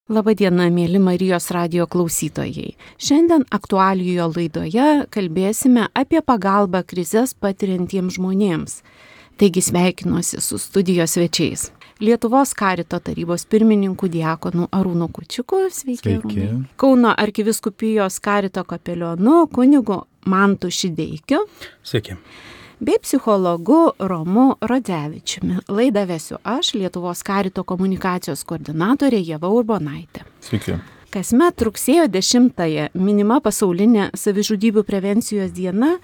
Labadiena, mėly Marijos radijo klausytojai. Šiandien aktualijoje laidoje kalbėsime apie pagalbą krizes patiriantiems žmonėms. Taigi sveikinuosi su studijos svečiais. Lietuvos Karito tarybos pirmininku diakonu Arūnu Kučiuku. Sveiki. Kauno arkivyskupijos Karito kapelionu kunigu Mantu Šideikiu. Sveiki. Bei psichologu Romu Radzevičiumi. Laidą vesiu aš, Lietuvos Karito komunikacijos koordinatorė Ieva Urbonaitė. Sveiki. Kasmet rugsėjo 10-ąją minima pasaulinė savižudybių prevencijos diena,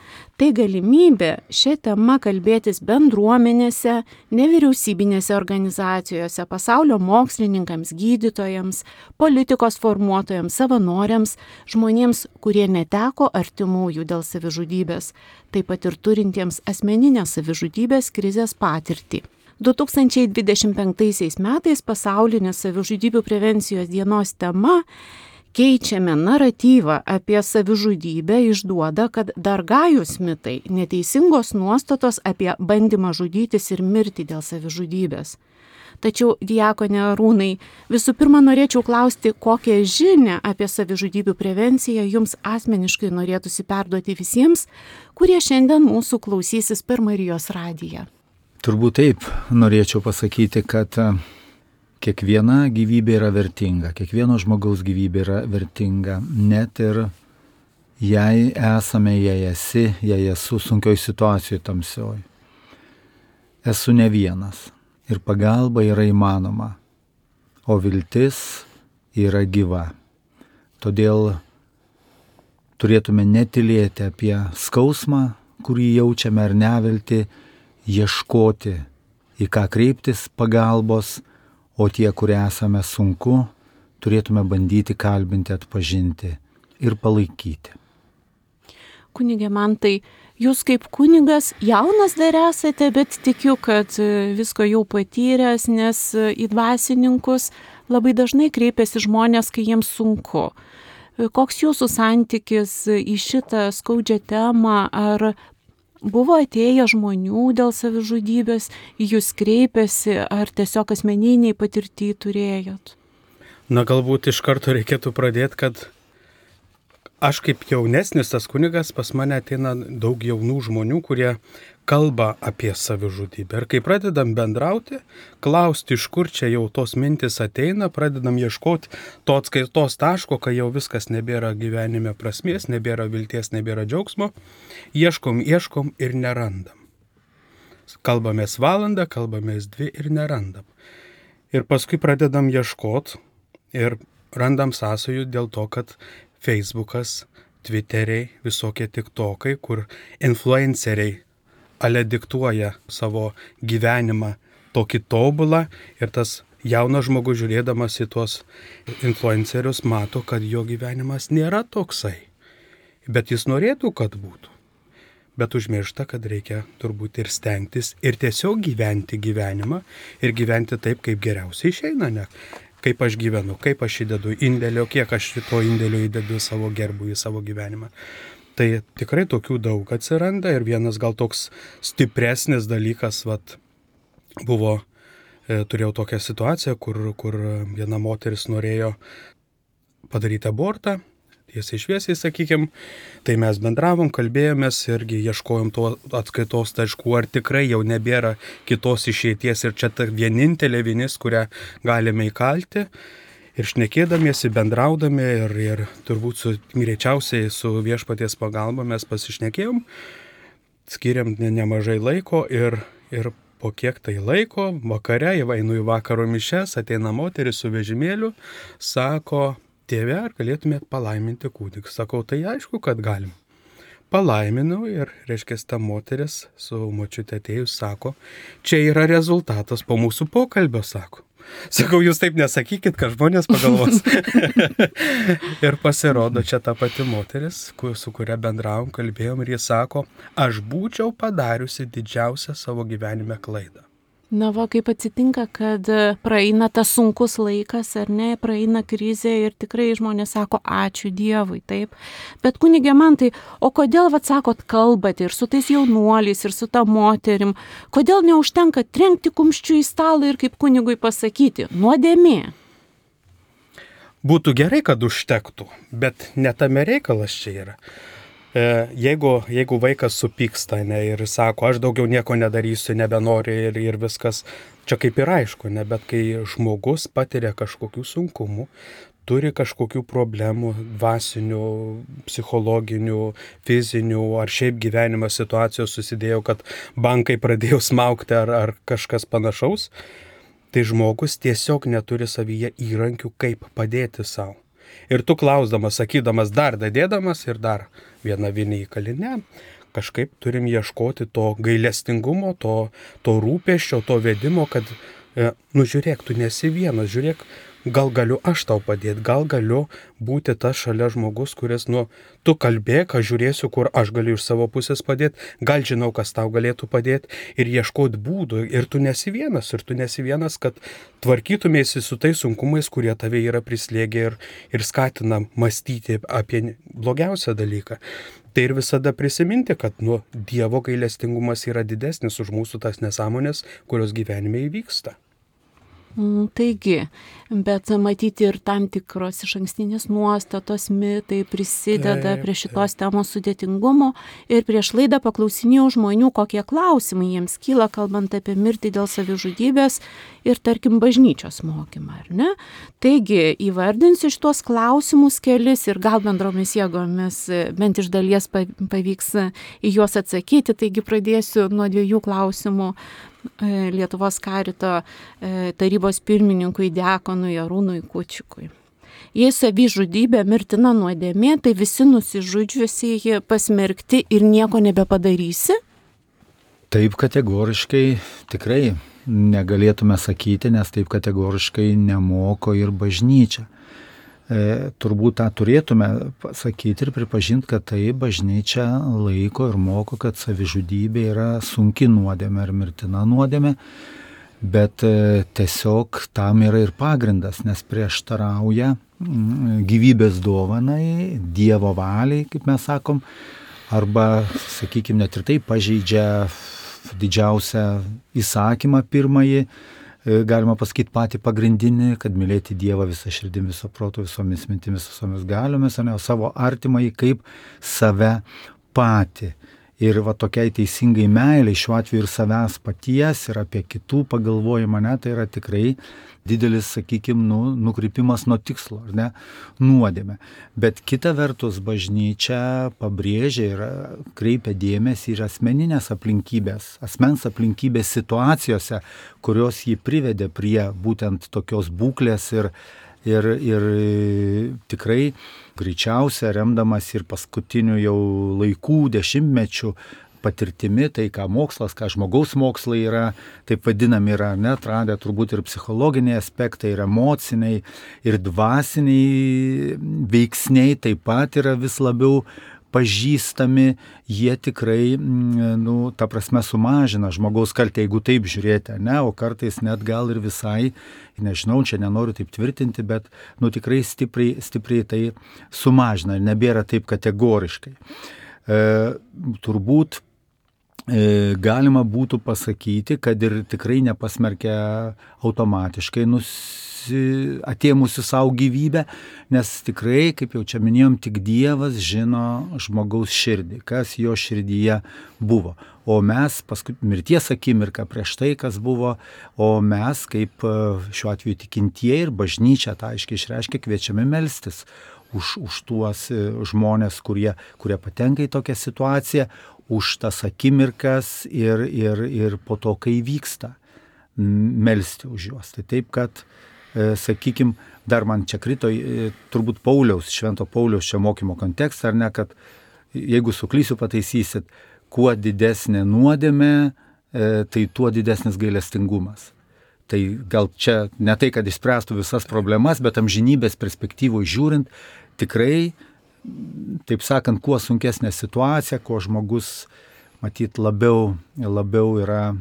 tai galimybė šią temą kalbėtis bendruomenėse, nevyriausybinėse organizacijose, pasaulio mokslininkams, gydytojams, politikos formuotojams, savanoriams, žmonėms, kurie neteko artimųjų dėl savižudybės, taip pat ir turintiems asmeninės savižudybės krizės patirtį. 2025 metais pasaulinės savižudybių prevencijos dienos tema keičiame naratyvą apie savižudybę išduoda, kad dar gajūs mitai, neteisingos nuostatos apie bandymą žudytis ir mirti dėl savižudybės. Tačiau, diakone Arūnai, visų pirma norėčiau klausti, kokią žinią apie savižudybių prevenciją jums asmeniškai norėtųsi perduoti visiems, kurie šiandien mūsų klausysis per Marijos radiją. Turbūt taip norėčiau pasakyti, kad kiekviena gyvybė yra vertinga, kiekvieno žmogaus gyvybė yra vertinga, net ir jei esame, jei esu sunkioj situacijoje tamsioj. Esu ne vienas ir pagalba yra įmanoma, o viltis yra gyva. Todėl turėtume netylėti apie skausmą, kurį jaučiame ar neviltį, ieškoti, į ką kreiptis pagalbos, o tie, kurie esame sunku, turėtume bandyti kalbinti, atpažinti ir palaikyti. Kunige Mantai, jūs kaip kunigas jaunas dar esate, bet tikiu, kad visko jau patyręs, nes į dvasininkus labai dažnai kreipiasi žmonės, kai jiems sunku. Koks jūsų santykis į šitą skaudžią temą, ar buvo atėję žmonių dėl savižudybės, jūs kreipėsi, ar tiesiog asmeniniai patirtį turėjot? Galbūt iš karto reikėtų pradėti, kad aš kaip jaunesnis tas kunigas, pas mane ateina daug jaunų žmonių, kurie kalba apie savižudybę. Ir kai pradedam bendrauti, klausti, iš kur čia jau tos mintis ateina, pradedam ieškoti to atskaitos taško, kai jau viskas nebėra gyvenime prasmės, nebėra vilties, nebėra džiaugsmo, ieškom ir nerandam. Kalbamės valandą, kalbamės 2 ir nerandam. Ir paskui pradedam ieškoti ir randam sąsajų dėl to, kad Facebookas, Twitteriai, visokie TikTokai, kur influenceriai ale diktuoja savo gyvenimą tokį tobulą ir tas jaunas žmogus žiūrėdamas į tuos influencerius mato, kad jo gyvenimas nėra toksai, bet jis norėtų, kad būtų. Bet užmiršta, kad reikia turbūt ir stengtis ir tiesiog gyventi gyvenimą ir gyventi taip, kaip geriausiai išeina, ne? Kaip aš gyvenu, kaip aš įdedu indėlio, kiek aš to indėlio įdedu savo gerbų į savo gyvenimą. Tai tikrai tokių daug atsiranda ir vienas gal toks stipresnis dalykas, buvo, turėjau tokią situaciją, kur viena moteris norėjo padaryti abortą, tiesiai šviesiai, sakykim, tai mes bendravom, kalbėjomės irgi ieškojom to atskaitos taškų, ar tikrai jau nebėra kitos išeities ir čia ta vienintelė vinis, kurią galime įkalti. Ir šnekėdamiesi, bendraudami ir turbūt greičiausiai su viešpaties pagalba mes pasišnekėjom, skiriam nemažai laiko ir po kiek tai laiko, vakare, einu į vakaro mišias, ateina moteris su vežimėliu, sako, tėve, ar galėtumėt palaiminti kūdikį? Sakau, tai aišku, kad galim. Palaiminau ir, reiškia, ta moteris su močiute atėjus sako, čia yra rezultatas po mūsų pokalbio, sako. Sakau, jūs taip nesakykit, kad žmonės pagalvos. Ir pasirodo, čia ta pati moteris, su kuria bendravom, kalbėjom ir jis sako, aš būčiau padariusi didžiausią savo gyvenime klaidą. Na va, kaip atsitinka, kad praeina tas sunkus laikas, ar ne, praeina krizė ir tikrai žmonės sako, ačiū Dievui, taip. Bet kunige Mantai, o kodėl, sakot, kalbate ir su tais jaunuoliais, ir su ta moterim, kodėl neužtenka trenkti kumščiu į stalą ir kaip kunigui pasakyti, nuodėmė? būtų gerai, kad užtektų, bet ne tame reikalas čia yra. Jeigu vaikas supyksta, ne, ir sako, aš daugiau nieko nedarysiu, nebenoriu ir viskas, čia kaip ir aišku, ne, bet kai žmogus patiria kažkokių sunkumų, turi kažkokių problemų dvasinių, psichologinių, fizinių ar šiaip gyvenimo situacijos susidėjo, kad bankai pradėjo smaugti ar kažkas panašaus, tai žmogus tiesiog neturi savyje įrankių, kaip padėti savo. Ir tu klausdamas, sakydamas, dar dadėdamas ir dar vieną vinį į kalinę, kažkaip turim ieškoti to gailestingumo, to rūpesčio, to vedimo, kad, žiūrėk, tu nesi vienas, žiūrėk, gal galiu aš tau padėti, gal galiu būti tas šalia žmogus, kuris, tu kalbėk, aš žiūrėsiu, kur aš galiu iš savo pusės padėti, gal žinau, kas tau galėtų padėti ir ieškoti būdų. Ir tu nesi vienas, kad tvarkytumėsi su tais sunkumais, kurie tave yra prislėgę ir skatina mąstyti apie blogiausią dalyką. Tai ir visada prisiminti, kad Dievo gailestingumas yra didesnis už mūsų tas nesąmonės, kurios gyvenime įvyksta. Taigi, bet matyti ir tam tikros išankstinės nuostatos, mitai prisideda prie šitos temos sudėtingumo ir prieš laidą paklausinėjau žmonių, kokie klausimai jiems kyla, kalbant apie mirtį dėl savižudybės ir, tarkim, bažnyčios mokymą, ar ne? Taigi, įvardinsiu šitos klausimus kelis ir gal bendromis jėgomis bent iš dalies pavyks į juos atsakyti, taigi pradėsiu nuo 2 klausimų. Lietuvos karito tarybos pirmininkui diakonui Arūnui Kučikui. Jei savižudybė mirtina nuodėmė, tai visi nusižudžiusieji pasmerkti ir nieko nebepadarysi? Taip kategoriškai tikrai negalėtume sakyti, nes taip kategoriškai nemoko ir bažnyčia. Turbūt tą turėtume sakyti ir pripažinti, kad tai bažnyčia laiko ir moko, kad savižudybė yra sunki nuodėmė ar mirtina nuodėmė, bet tiesiog tam yra ir pagrindas, nes prieštarauja gyvybės dovanai, Dievo valiai, kaip mes sakom, arba, sakykime, net ir tai pažeidžia didžiausią įsakymą pirmąjį, galima pasakyti patį pagrindinį, kad mylėti Dievą visą širdim, viso proto, visomis mintimis, visomis galiomis, o ne savo artimąjį kaip save patį. Ir tokiai teisingai meiliai, šiuo atveju ir savęs paties, ir apie kitų pagalvojimą, tai yra tikrai didelis, sakykime, nukrypimas nuo tikslo, ar ne, nuodėmė. Bet kita vertus bažnyčia pabrėžia ir kreipia dėmesį ir asmeninės aplinkybės, asmens aplinkybės situacijose, kurios jį privedė prie būtent tokios būklės ir tikrai greičiausia remdamas ir paskutinių jau laikų, dešimtmečių patirtimi, tai ką mokslas, ką žmogaus mokslai yra, taip vadinami yra, atradę turbūt ir psichologiniai aspektai, ir emociniai, ir dvasiniai veiksniai taip pat yra vis labiau pažįstami, jie tikrai, ta prasme sumažina žmogaus kaltę, jeigu taip žiūrėti, o kartais net gal ir visai, nežinau, čia nenoriu taip tvirtinti, bet tikrai stipriai tai sumažina ir nebėra taip kategoriškai. Turbūt galima būtų pasakyti, kad ir tikrai nepasmerkia automatiškai atėmusi savo gyvybę, nes tikrai, kaip jau čia minėjom, tik Dievas žino žmogaus širdį, kas jo širdyje buvo. O mes, paskui mirties akimirką prieš tai, kas buvo, o mes, kaip šiuo atveju tikintieji ir bažnyčia, tą aiškiai išreiškia, kviečiami melstis už tuos žmonės, kurie patenka į tokią situaciją, už tas akimirkas ir po to, kai vyksta, melsti už juos. Tai taip, kad, sakykime, dar man čia krito turbūt Švento Pauliaus čia mokymo kontekstą, ar ne, kad jeigu suklysiu, pataisysit, kuo didesnė nuodėmė, tai tuo didesnis gailestingumas. Tai gal čia ne tai, kad išspręstų visas problemas, bet amžinybės perspektyvoje žiūrint, tikrai, taip sakant, kuo sunkesnė situacija, kuo žmogus, matyt, labiau yra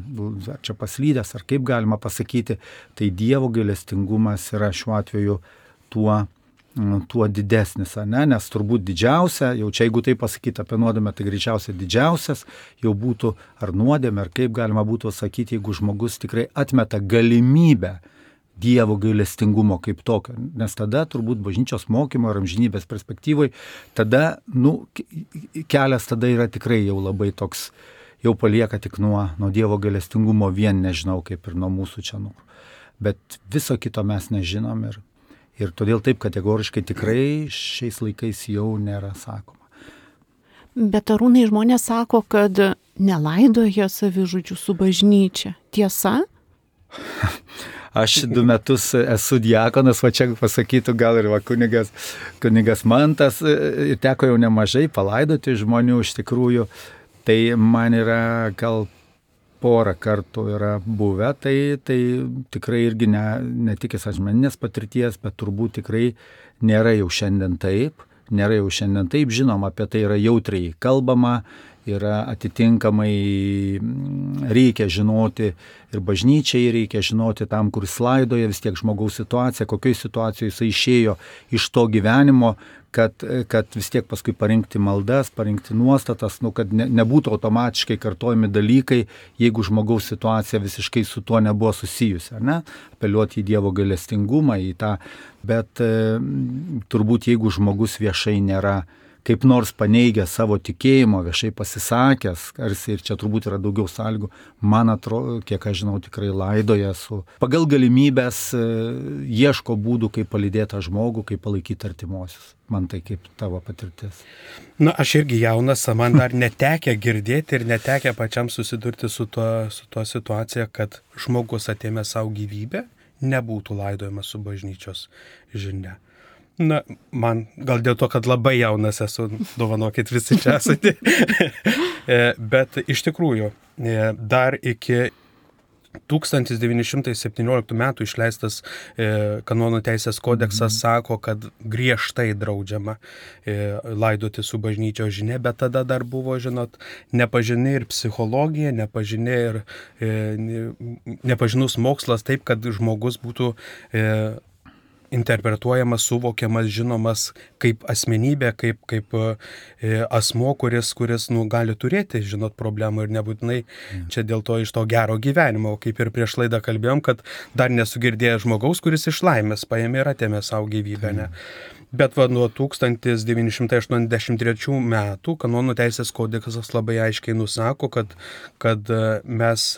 čia paslydęs, ar kaip galima pasakyti, tai Dievo gailestingumas yra šiuo atveju tuo didesnis, nes turbūt didžiausia, jau čia jeigu tai pasakyti apie nuodėmę, tai greičiausiai didžiausias jau būtų ar nuodėmė, ar kaip galima būtų sakyti, jeigu žmogus tikrai atmeta galimybę Dievo gailestingumo kaip tokio, nes tada turbūt bažnyčios mokymo ar amžinybės perspektyvai, tada, kelias tada yra tikrai jau labai toks, jau palieka tik nuo Dievo gailestingumo vien, nežinau, kaip ir nuo mūsų čia norų. Bet viso kito mes nežinom ir todėl taip kategoriškai tikrai šiais laikais jau nėra sakoma. Bet Arūnai, žmonės sako, kad nelaidoja savižudžių su bažnyčia. Tiesa? Aš 2 metus esu diakonas, va čia pasakytų gal ir kunigas Mantas, ir teko jau nemažai palaidoti žmonių iš tikrųjų, tai man yra gal porą kartų yra buvę, tai tikrai irgi ne tik asmeninės patirties, bet turbūt tikrai nėra jau šiandien taip, žinoma, apie tai yra jautriai kalbama, yra atitinkamai reikia žinoti ir bažnyčiai reikia žinoti tam, kur jis laidoja, vis tiek žmogaus situacija, kokioje situacijoje jis išėjo iš to gyvenimo, kad vis tiek paskui parinkti maldas, parinkti nuostatas, kad nebūtų automatiškai kartojami dalykai, jeigu žmogaus situacija visiškai su tuo nebuvo susijusi, ar ne? Apeliuoti į Dievo gailestingumą, į tą, bet turbūt jeigu žmogus viešai nėra kaip nors paneigę savo tikėjimo, viešai pasisakęs, ir čia turbūt yra daugiau sąlygų, man atrodo, kiek aš žinau, tikrai laidoja pagal galimybės ieško būdų, kaip palydėti žmogų, kaip palaikyti artimuosius. Man tai kaip tavo patirtis. Aš irgi jaunas, man dar netekę girdėti ir netekę pačiam susidurti su tuo situacija, kad žmogus atėmė savo gyvybę, nebūtų laidojamas su bažnyčios žinia. Man gal dėl to, kad labai jaunas esu, dovanokit visi čia esate, bet iš tikrųjų dar iki 1917 metų išleistas kanonų teisės kodeksas sako, kad griežtai draudžiama laidoti su bažnyčios žinia, bet tada dar buvo, nepažini ir psichologija, nepažinus mokslas taip, kad žmogus būtų interpretuojamas, suvokiamas, žinomas kaip asmenybė, kaip asmo, kuris gali turėti, problemų ir nebūtinai čia dėl to iš to gero gyvenimo. Kaip ir prieš laidą kalbėjom, kad dar nesugirdėjo žmogaus, kuris iš laimės paėmė ir atėmė savo gyvybę. Ne? Bet nuo 1983 metų kanonų teisės kodeksas labai aiškiai nusako, kad mes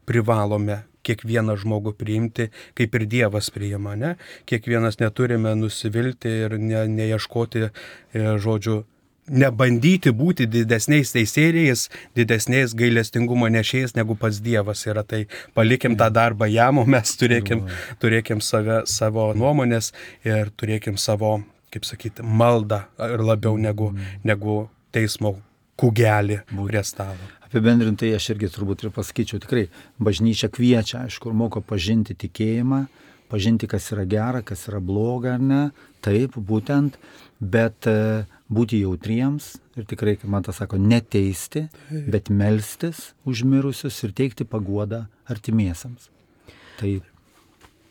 privalome kiekvieną žmogų priimti, kaip ir Dievas priima, ne? Kiekvienas neturime nusivilti ir neieškoti, nebandyti būti didesniais teisėjais, didesniais gailestingumo nešėjais, negu pats Dievas yra. Tai palikim tą darbą jam, o mes turėkim savo nuomonės ir turėkim savo, kaip sakyti, maldą ir labiau negu teismo kūgelį prie stalo. Apibendrintai aš irgi turbūt ir pasakyčiau, tikrai bažnyčia kviečia, aišku, moko pažinti tikėjimą, pažinti, kas yra gera, kas yra bloga ar ne, taip, būtent, bet būti jautriems ir tikrai, kaip man tas sako, neteisti, bet melstis už mirusius ir teikti paguodą artimiesiems. Tai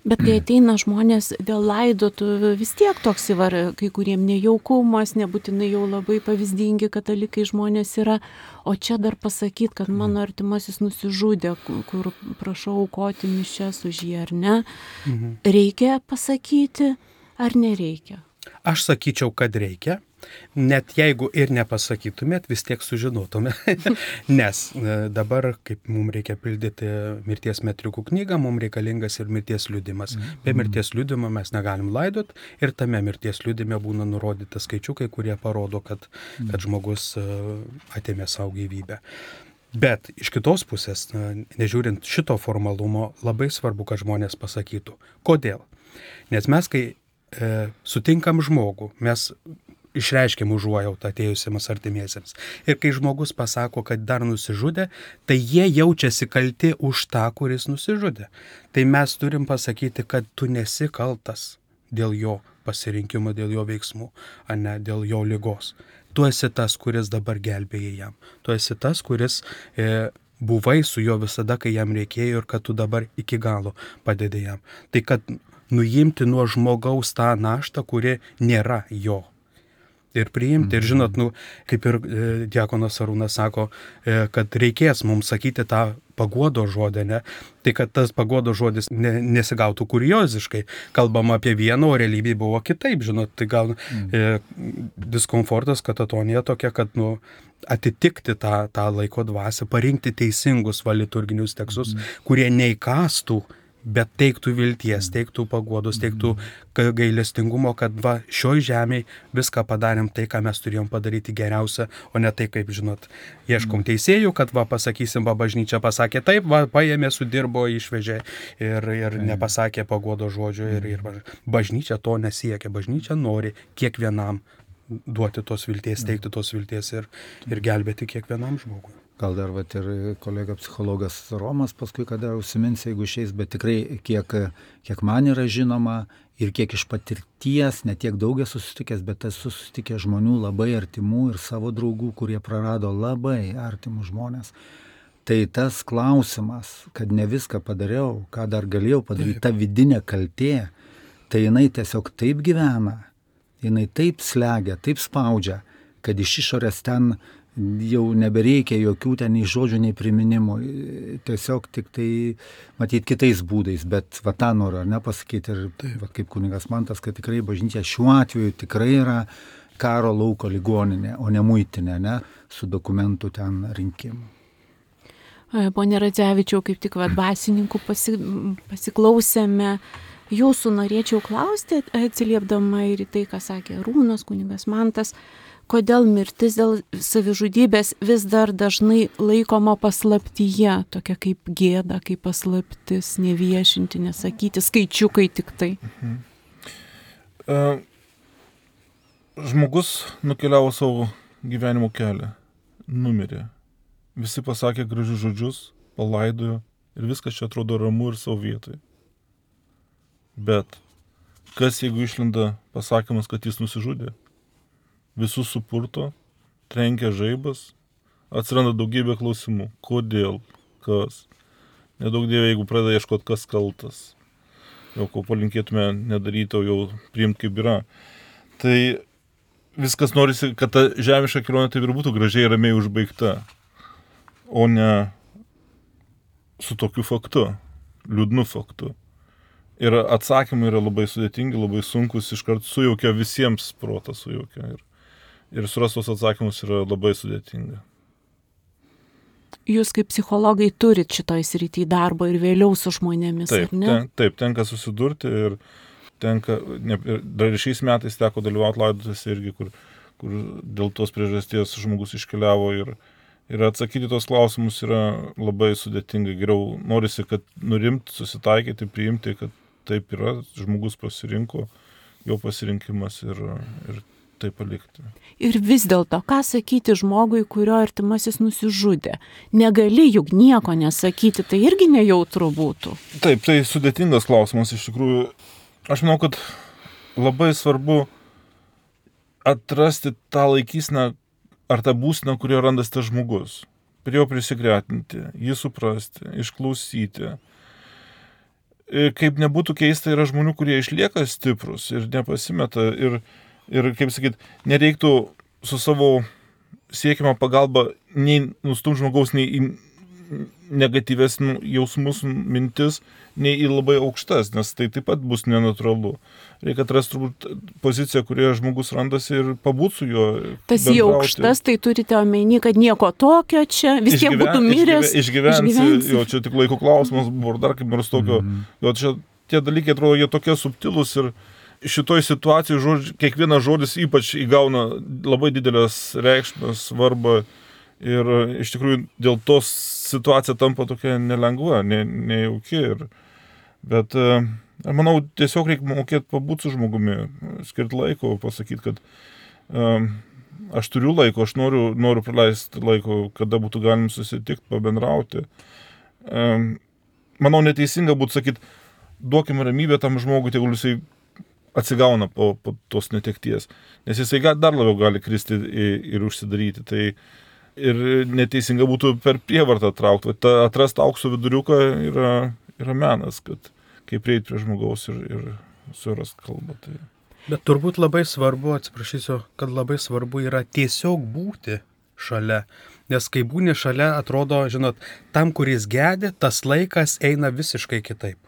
Bet kai ateina žmonės dėl laidotuvių, vis tiek toks kai kuriem nejaukumas, nebūtinai jau labai pavyzdingi katalikai žmonės yra, o čia dar pasakyti, kad mano artimasis nusižudė, kur prašau aukoti mišias už jį, ar ne? Reikia pasakyti, ar nereikia? Aš sakyčiau, kad reikia. Net jeigu ir nepasakytumėt, vis tiek sužinotume. Nes dabar, kaip mums reikia pildyti mirties metrikų knygą, mums reikalingas ir mirties liudimas. Be mirties liudimo mes negalim laidot ir tame mirties liudime būna nurodyti skaičiukai, kurie parodo, kad žmogus atėmė savo gyvybę. Bet iš kitos pusės, nežiūrint šito formalumo, labai svarbu, kad žmonės pasakytų. Kodėl? Nes mes, kai sutinkam žmogų, mes išreiškiam užuojautą atėjusiems artimiesiems. Ir kai žmogus pasako, kad dar nusižudė, tai jie jaučiasi kalti už tą, kuris nusižudė. Tai mes turim pasakyti, kad tu nesi kaltas dėl jo pasirinkimo, dėl jo veiksmų, o ne dėl jo ligos. Tu esi tas, kuris dabar gelbėjai jam. Tu esi tas, kuris buvai su juo visada, kai jam reikėjo ir kad tu dabar iki galo padedi jam. Tai kad nuimti nuo žmogaus tą naštą, kuri nėra jo. Ir priimti. Ir žinot, kaip ir diakonas Arūnas sako, kad reikės mums sakyti tą paguodo žodį, ne? Tai kad tas paguodo žodis nesigautų kurioziškai. Kalbama apie vieną, o realybėje buvo kitaip, žinot, tai gal diskomfortas, katatonija tokia, kad, atitikti tą laiko dvasią, parinkti teisingus liturginius tekstus, kurie neįkastų, bet teiktų vilties, teiktų paguodos, teiktų gailestingumo, kad šioj žemėje viską padarėm tai, ką mes turėjom padaryti geriausia, o ne tai, kaip žinot, ieškom teisėjų, kad pasakysim, bažnyčia pasakė taip, paėmė, sudirbo, išvežė ir nepasakė paguodo žodžio ir bažnyčia to nesiekia, bažnyčia nori kiekvienam duoti tos vilties, teikti tos vilties ir gelbėti kiekvienam žmogui. Gal dar ir kolega psichologas Romas paskui, kada užsimins, jeigu išeis, bet tikrai kiek man yra žinoma ir kiek iš patirties, ne tiek daug esu susitikęs, bet esu susitikęs žmonių labai artimų ir savo draugų, kurie prarado labai artimus žmonės. Tai tas klausimas, kad ne viską padariau, ką dar galėjau padaryti, ta vidinė kaltė, tai jinai tiesiog taip gyvena, jinai taip slegia, taip spaudžia, kad iš išorės ten jau nebereikia jokių ten nei žodžių, nei priminimų, tiesiog tik tai matyti kitais būdais, bet tą noriu pasakyti ir kaip kunigas Mantas, kad tikrai bažnyčia šiuo atveju tikrai yra karo lauko ligoninė, o ne muitinė, su dokumentų ten rinkimu. Pone Radzevičiau, kaip tik dvasininkų pasiklausėme, jūsų norėčiau klausti, atsiliepdama ir į tai, ką sakė Arūnas, kunigas Mantas, kodėl mirtis dėl savižudybės vis dar dažnai laikoma paslaptyje, tokia kaip gėda, kaip paslaptis, neviešinti, nesakyti, skaičiukai tik tai. Žmogus nukeliavo savo gyvenimo kelią, numirė. Visi pasakė gražius žodžius, palaidojo ir viskas čia atrodo ramu ir savo vietoje. Bet kas jeigu išlinda pasakymas, kad jis nusižudė? Visus supurto, trenkia žaibas, atsiranda daugybė klausimų. Kodėl? Kas? Nedaug dievė, jeigu pradeda ieškoti, kas kaltas. Jau ko palinkėtume nedaryti, o jau priimti kaip yra. Tai viskas norisi, kad ta žemiška kelionė taip ir būtų gražiai ramiai užbaigta, o ne su tokiu faktu, liūdnu faktu. Ir atsakymai yra labai sudėtingi, labai sunkus, iškart sujaukia visiems protą sujaukia. Ir surastos atsakymus yra labai sudėtinga. Jūs kaip psichologai turit šitoj srity darbo ir vėliau su žmonėmis, taip, ar ne? Taip, tenka susidurti ir tenka, dar šiais metais teko dalyvauti laidotuvėse irgi, kur dėl tos priežasties žmogus iškeliavo ir atsakyti tos klausimus yra labai sudėtinga. Geriau norisi, kad nurimti, susitaikyti, priimti, kad taip yra, žmogus pasirinko, jo pasirinkimas ir tai palikti. Ir vis dėlto, ką sakyti žmogui, kurio artimasis nusižudė? Negali juk nieko nesakyti, tai irgi nejautru būtų. Taip, tai sudėtingas klausimas iš tikrųjų. Aš manau, kad labai svarbu atrasti tą laikysną ar tą būseną, kurioje randasi tas žmogus. Prie jo prisigretinti, jį suprasti, išklausyti. Kaip nebūtų keista, yra žmonių, kurie išlieka stiprus ir nepasimeta ir kaip sakyt, nereiktų su savo siekiama pagalba nei nustumti žmogaus, nei į negatyves jausmus, mintis, nei į labai aukštas, nes tai taip pat bus nenatūralu. Reikia atrasti turbūt poziciją, kurioje žmogus randasi ir pabūt su juo. Tas į aukštas, tai turite omeny, kad nieko tokio čia, vis tiek būtų miręs. Išgyvensi, jo, čia tik laiko klausimas buvo, dar kaip nors tokio. Jo, čia tie dalykai atrodo, jie tokie subtilūs ir šitoj situacijai kiekvienas žodis ypač įgauna labai didelės reikšmės, svarbą ir iš tikrųjų dėl to situacija tampa tokia nelengva, nejauki. Bet manau, tiesiog reikia mokėti pabūti su žmogumi, skirti laiko, pasakyti, kad aš turiu laiko, aš noriu praleisti laiko, kada būtų galim susitikti, pabendrauti. Manau, neteisinga būtų sakyti, duokime ramybę tam žmogui, tegul jisai atsigauna po tos netekties, nes jisai dar labiau gali kristi ir užsidaryti. Tai ir neteisinga būtų per prievartą traukti. Atrasti aukso viduriuką yra menas, kad kaip prieiti prie žmogaus ir surast kalbą. Tai. Bet turbūt labai svarbu, atsiprašysiu, kad labai svarbu yra tiesiog būti šalia. Nes kai būni šalia, atrodo, žinot, tam, kuris gedi, tas laikas eina visiškai kitaip.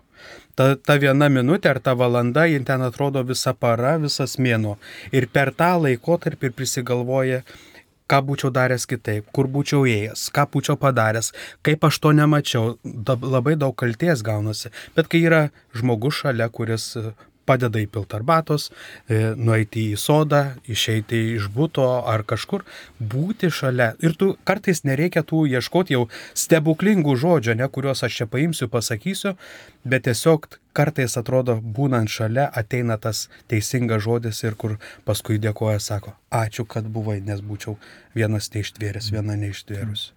Ta viena minutė ar ta valanda, jin ten atrodo visa para, visas mėnuo. Ir per tą laikotarpį prisigalvoja, ką būčiau daręs kitaip, kur būčiau ėjęs, ką būčiau padaręs, kaip aš to nemačiau. Labai daug kalties gaunasi. Bet kai yra žmogus šalia, kuris padeda įpilti arbatos, nueiti į sodą, išeiti iš buto ar kažkur, būti šalia. Ir tu kartais nereikia tų ieškoti jau stebuklingų žodžių, ne, kuriuos aš čia paimsiu, pasakysiu, bet tiesiog kartais atrodo, būnant šalia, ateina tas teisingas žodis ir kur paskui dėkoja, sako, ačiū, kad buvai, nes būčiau vienas neištvėręs, viena neištvėrus.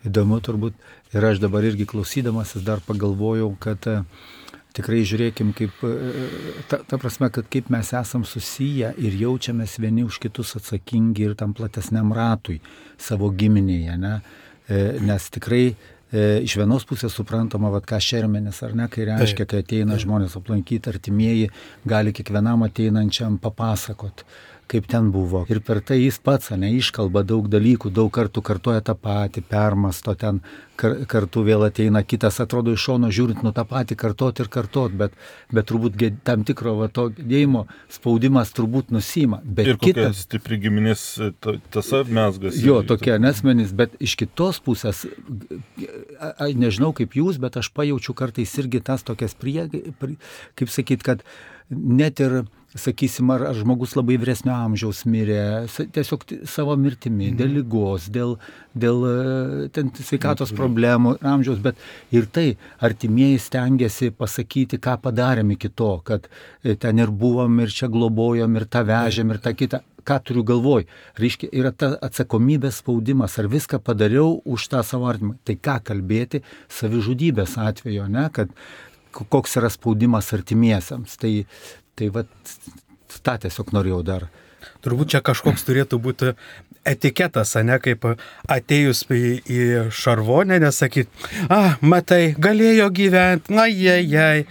Įdomu turbūt, ir aš dabar irgi klausydamasis dar pagalvojau, kad tikrai žiūrėkim, kaip, ta prasme, kad kaip mes esam susiję ir jaučiamės vieni už kitus atsakingi ir tam platesniam ratui savo giminėje, ne? Nes tikrai iš vienos pusės suprantama, ką šermenis, ar ne, kai reiškia, kai ateina žmonės aplankyti, artimieji gali kiekvienam ateinančiam papasakot, kaip ten buvo. Ir per tai jis pats, iškalba daug dalykų, daug kartų kartoja tą patį, permasto ten, kartu vėl ateina kitas, atrodo iš šono žiūrint, tą patį kartot ir kartot, bet turbūt tam tikro to gedėjimo spaudimas turbūt nusima. Bet ir kokia stipri giminės tasa mesgas. Jo, tokie nesmenys, bet iš kitos pusės, nežinau kaip jūs, bet aš pajaučiu kartais irgi tas tokias kaip sakyt, kad net ir, sakysim, ar žmogus labai vyresnio amžiaus mirė, tiesiog savo mirtimi, dėl ligos, dėl ten sveikatos problemų, amžiaus, bet ir tai artimieji stengiasi pasakyti, ką padarėm iki to, kad ten ir buvom, ir čia globojom, ir tą vežėm, ir tą kitą. Ką turiu galvoj? Reiškia, yra ta atsakomybės spaudimas, ar viską padariau už tą savo artimą. Tai ką kalbėti savižudybės atveju, ne, kad koks yra spaudimas artimiesiams. Tai vat, tą tiesiog norėjau dar. Turbūt čia kažkoks turėtų būti etiketas, ne, kaip atėjus į šarvonę, nesakyt, matai, galėjo gyventi, ajajai.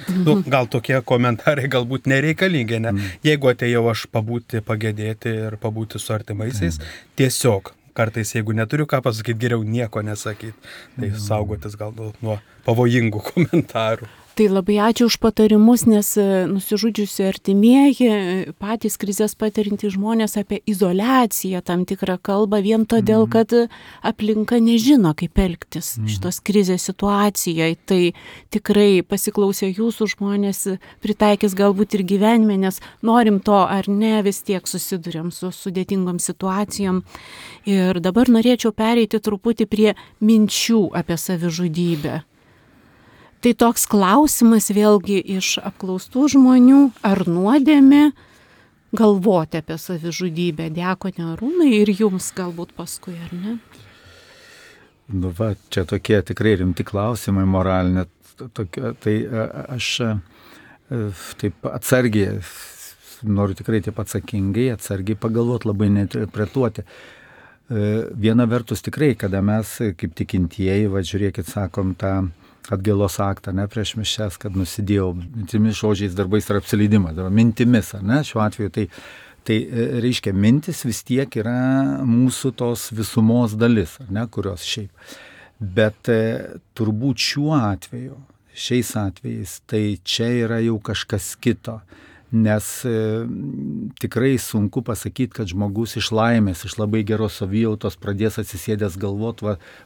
Gal tokie komentarai galbūt nereikalingi, ne? Jeigu atėjau aš pabūti, pagėdėti ir pabūti su artimaisiais, tiesiog. Kartais, jeigu neturiu ką pasakyti, geriau nieko nesakyti. Tai saugotis gal nuo pavojingų komentarų. Tai labai ačiū už patarimus, nes nusižudžiusi artimieji, patys krizės patirinti žmonės apie izoliaciją tam tikrą kalbą vien todėl, kad aplinka nežino, kaip elgtis šitos krizės situacijoje. Tai tikrai pasiklausę jūsų žmonės pritaikys galbūt ir gyvenime, nes norim to ar ne, vis tiek susiduriam su sudėtingom situacijom. Ir dabar norėčiau pereiti truputį prie minčių apie savižudybę. Tai toks klausimas vėlgi iš apklaustų žmonių, ar nuodėmė galvoti apie savižudybę, diakone Arūnai, ir jums galbūt paskui, ar ne? Čia tokie tikrai rimti klausimai moralinė. Tai aš taip atsargiai, noriu tikrai taip atsakingai, atsargiai pagalvoti, labai neinterpretuoti. Viena vertus tikrai, kada mes kaip tikintieji, žiūrėkit, sakom tą atgailos aktą, ne, prieš mišias, kad nusidėjau mintimis, žodžiais, darbais ir apsileidimas, mintimis, ne, šiuo atveju tai reiškia, mintis vis tiek yra mūsų tos visumos dalis, ne, kurios šiaip. Bet turbūt šiuo atveju, šiais atvejais, tai čia yra jau kažkas kito. Nes tikrai sunku pasakyti, kad žmogus iš laimės, iš labai geros savijautos pradės atsisėdęs galvot,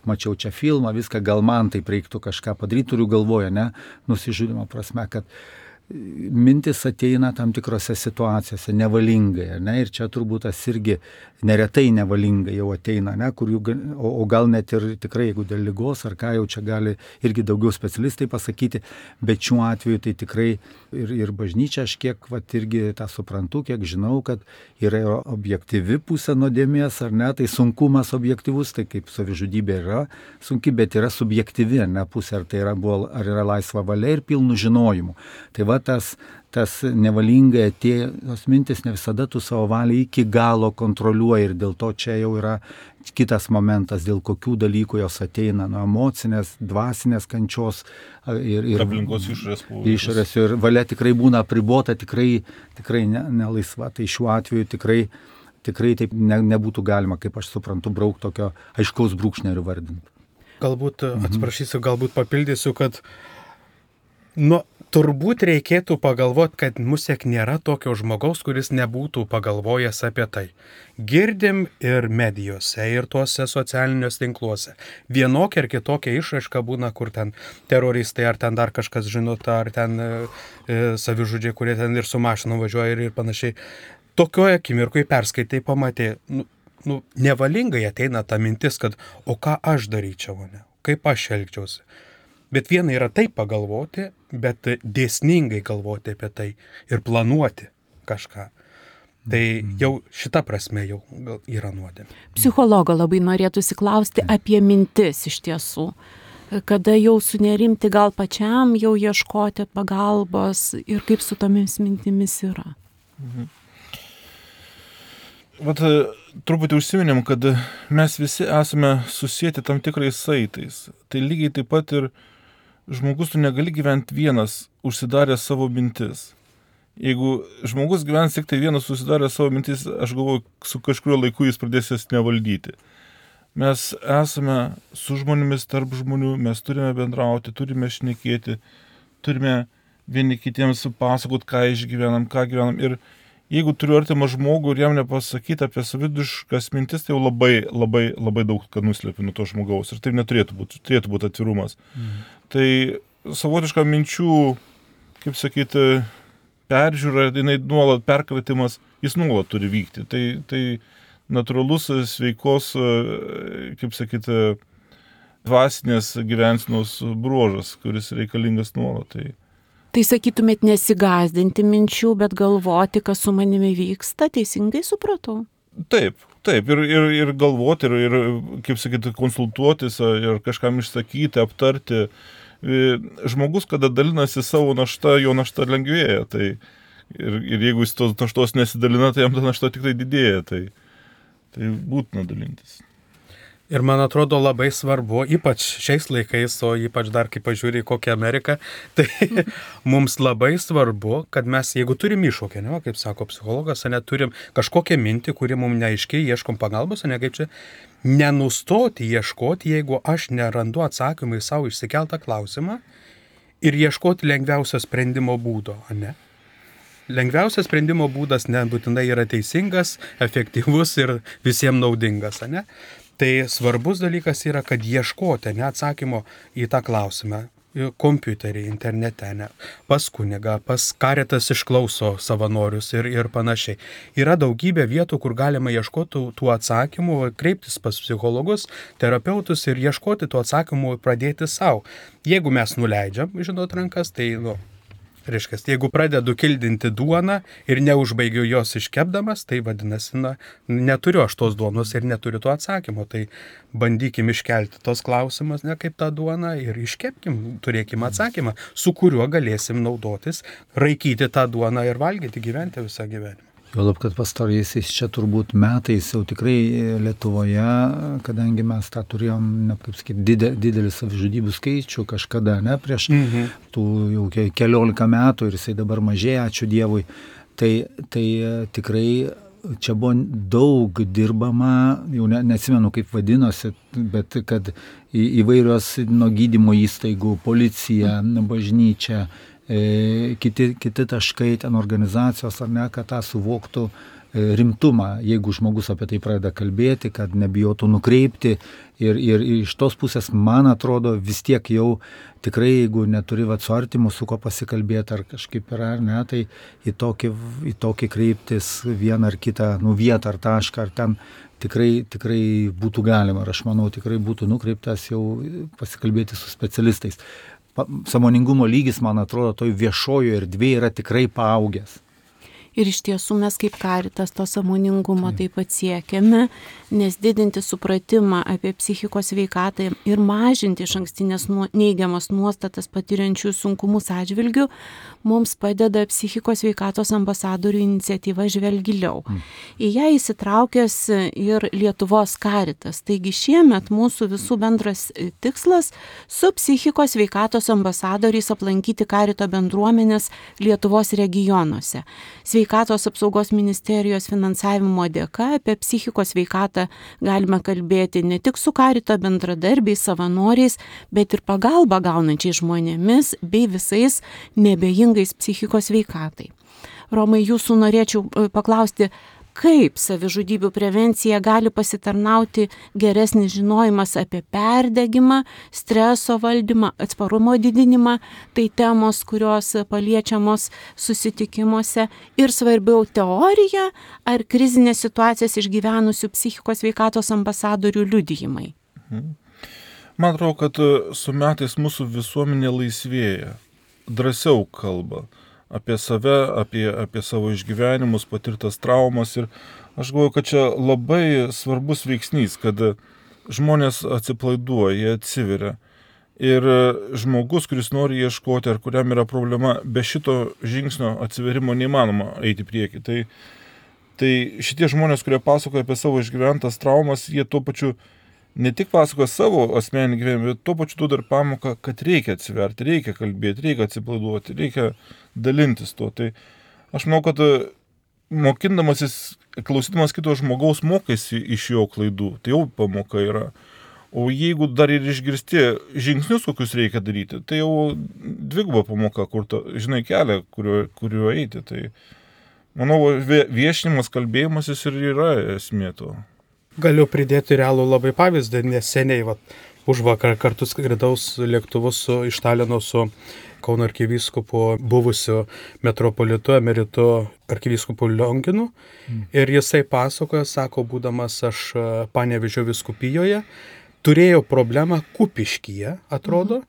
mačiau čia filmą, viską, gal man taip reiktų kažką padaryti, turiu galvoje, ne, nusižudimo prasme, kad mintis ateina tam tikrose situacijose nevalingai, ne, ir čia turbūt tas irgi neretai nevalingai jau ateina, ne, kur o gal net ir tikrai, jeigu dėl ligos ar ką, jau čia gali irgi daugiau specialistai pasakyti, bet šiuo atveju tai tikrai ir bažnyčia, aš kiek irgi tą suprantu, kiek žinau, kad yra objektyvi pusė nuodėmės, ar ne, tai sunkumas objektyvus, tai kaip savižudybė yra sunki, bet yra subjektyvi, ne, pusė, ar tai ar yra laisva valia ir pilnu žinojimu. Tai tas nevalingai atėjus mintis ne visada tu savo valią iki galo kontroliuoji ir dėl to čia jau yra kitas momentas, dėl kokių dalykų jos ateina, nuo emocinės, dvasinės kančios ir aplinkos išorės ir valia tikrai būna apribota, tikrai nelaisva. Tai šiuo atveju tikrai tikrai taip nebūtų galima, kaip aš suprantu, braukti tokio aiškaus brūkšnio ir vardinti. Galbūt, atsiprašysiu, galbūt papildysiu, kad turbūt reikėtų pagalvoti, kad musiek nėra tokio žmogaus, kuris nebūtų pagalvojęs apie tai. Girdim ir medijose, ir tuose socialiniuose tinkluose. Vienokia ar kitokia išraiška būna, kur ten teroristai, ar ten dar kažkas žinot, ar ten savižudžiai, kurie ten ir su mašinu važiuoja ir panašiai. Tokioje akimirkoje perskaitai, pamatė, nevalingai ateina ta mintis, kad o ką aš daryčiau, ne? Kaip aš elgčiausi. Bet viena yra taip pagalvoti, bet dėsningai galvoti apie tai ir planuoti kažką. Tai jau šita prasme jau yra nuodėmė. Psichologo labai norėtųsi klausti apie mintis iš tiesų. Kada jau sunerimti gal pačiam, jau ieškoti pagalbos ir kaip su tomis mintimis yra. Vat truputį užsiminėm, kad mes visi esame susijęti tam tikrais saitais. Tai lygiai taip pat ir žmogus tu negali gyventi vienas, užsidaręs savo mintis. Jeigu žmogus gyvens tik tai vienas, užsidaręs savo mintis, aš galvoju, su kažkurio laiku jis pradės jas nevaldyti. Mes esame su žmonėmis, tarp žmonių, mes turime bendrauti, turime šnekėti, turime vieni kitiems pasakoti, ką išgyvenam, ką gyvenam. Ir jeigu turiu artimą žmogų ir jam nepasakyti apie saviduškas mintis, tai jau labai daug ką nuslėpi nuo to žmogaus. Ir taip neturėtų būti, turėtų būti atvirumas. Tai savotiška minčių, kaip sakyti, peržiūra, jinai nuolat perkratimas, jis nuolat turi vykti. Tai natūralus sveikos, kaip sakyti, dvasinės gyvensenos bruožas, kuris reikalingas nuolat. Tai sakytumėt nesigąsdinti minčių, bet galvoti, kas su manimi vyksta, teisingai supratau? Taip. Ir galvoti, ir kaip sakyti, konsultuotis, ir kažkam išsakyti, aptarti. Žmogus, kada dalinasi savo naštą, jo našta lengvėja. Tai, ir jeigu jis tos naštos nesidalina, tai jam ta našta tik tai didėja. Tai būtina dalintis. Ir man atrodo labai svarbu, ypač šiais laikais, o ypač dar kai pažiūrė į kokią Ameriką, tai mums labai svarbu, kad mes, jeigu turim iššūkį, kaip sako psichologas, turim kažkokią mintį, kuri mums neaiškiai, ieškom pagalbos, kaip čia, nenustoti ieškoti, jeigu aš nerandu atsakymą į savo išsikeltą klausimą ir ieškoti lengviausio sprendimo būdo, ne? Lengviausias sprendimo būdas nebūtinai yra teisingas, efektyvus ir visiems naudingas, ne? Tai svarbus dalykas yra, kad ieškoti atsakymo į tą klausimą kompiuterį, internete, pas kunigą, pas Caritas išklauso savanorius ir panašiai. Yra daugybė vietų, kur galima ieškoti tų atsakymų, kreiptis pas psichologus, terapeutus ir ieškoti tų atsakymų ir pradėti savo. Jeigu mes nuleidžiam, rankas, tai reiškia, jeigu pradedu kildinti duoną ir neužbaigiu jos iškepdamas, tai vadinasi, neturiu aš tos duonos ir neturiu to atsakymo. Tai bandykim iškelti tos klausimus, kaip tą duoną ir iškepkim, turėkim atsakymą, su kuriuo galėsim naudotis, raikyti tą duoną ir valgyti, gyventi visą gyvenimą. Juolab, kad pastaraisiais čia turbūt metais jau tikrai Lietuvoje, kadangi mes tą turėjom, kaip sakyti, didelį savižudybių skaičių kažkada, prieš tų jau 14 metų ir jisai dabar mažėja, ačiū Dievui, tai tikrai čia buvo daug dirbama, jau neatsimenu kaip vadinosi, bet kad įvairios nuo gydymo įstaigų, policija, bažnyčia, kiti taškai, ten organizacijos, kad tą suvoktų rimtumą, jeigu žmogus apie tai pradeda kalbėti, kad nebijotų nukreipti. Ir iš tos pusės, man atrodo, vis tiek jau tikrai, jeigu neturi su artimu, su ko pasikalbėti ar kažkaip yra, tai į tokį kreiptis vieną ar kitą vietą ar tašką, ar ten tikrai būtų galima. Ir aš manau, tikrai būtų nukreiptas jau pasikalbėti su specialistais. Sąmoningumo lygis, man atrodo, toj viešojo erdvėje yra tikrai paaugęs. Ir iš tiesų mes kaip Caritas to sąmoningumo taip pat siekiame, nes didinti supratimą apie psichikos sveikatą ir mažinti išankstinės neigiamas nuostatas patiriančių sunkumus atžvilgių mums padeda psichikos sveikatos ambasadorių iniciatyva Žvelk giliau. Į ją įsitraukęs ir Lietuvos Caritas. Taigi šiemet mūsų visų bendras tikslas su psichikos sveikatos ambasadoriais aplankyti Carito bendruomenės Lietuvos regionuose. Sveikatos apsaugos ministerijos finansavimo dėka apie psichikos sveikatą galime kalbėti ne tik su Karito bendradarbiais, savanoriais, bet ir pagalbą gaunančiais žmonėmis bei visais neabejingais psichikos sveikatai. Romai, jūsų norėčiau paklausti, kaip savižudybių prevencija gali pasitarnauti geresnis žinojimas apie perdegimą, streso valdymą, atsparumo didinimą, tai temos, kurios paliečiamos susitikimuose, ir svarbiau teorija ar krizinės situacijas išgyvenusių psichikos sveikatos ambasadorių liudijimai. Man atrodo, kad su metais mūsų visuomenė laisvėja, drąsiau kalba apie save, apie savo išgyvenimus, patirtas traumas, ir aš galvoju, kad čia labai svarbus veiksnys, kad žmonės atsipalaiduoja, jie atsiveria. Ir žmogus, kuris nori ieškoti, ar kuriam yra problema, be šito žingsnio atsiverimo neįmanoma eiti prieki. Tai šitie žmonės, kurie pasakoja apie savo išgyventas traumas, jie tuo pačiu ne tik pasakoja savo asmeninį gyvenimą, bet tuo pačiu duoda ir pamoką, kad reikia atsiverti, reikia kalbėti, reikia atsipalaiduoti, reikia dalintis tuo. Tai aš manau, kad mokindamasis, klausydamas kito žmogaus, mokėsi iš jo klaidų, tai jau pamoka yra. O jeigu dar ir išgirsti žingsnius, kokius reikia daryti, tai jau dviguba pamoka, kur žinai kelią, kuriuo eiti. Tai manau, viešinimas, kalbėjimasis ir yra esmė to. Galiu pridėti realų labai pavyzdį, neseniai, užvakar kartu skridaus lėktuvus iš Talino su Kauno arkivyskupu, buvusiu metropolitu, emeritu arkivyskupu Lionginu. Ir jisai pasakoja, sako, būdamas aš Panevėžio vyskupijoje, turėjau problemą Kupiškyje, atrodo.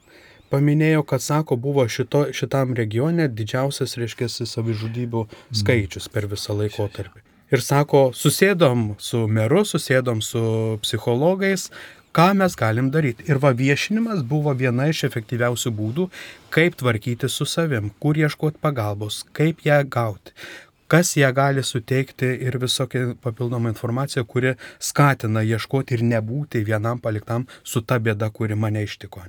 Paminėjo, kad, sako, buvo šitam regione didžiausias, reiškia, savižudybių skaičius per visą laikotarpį. Ir sako, susėdom su meru, susėdom su psichologais, ką mes galim daryti. Ir viešinimas buvo viena iš efektyviausių būdų, kaip tvarkyti su savim, kur ieškoti pagalbos, kaip ją gauti, kas ją gali suteikti ir visokia papildoma informacija, kuri skatina ieškoti ir nebūti vienam paliktam su ta bėda, kuri mane ištiko.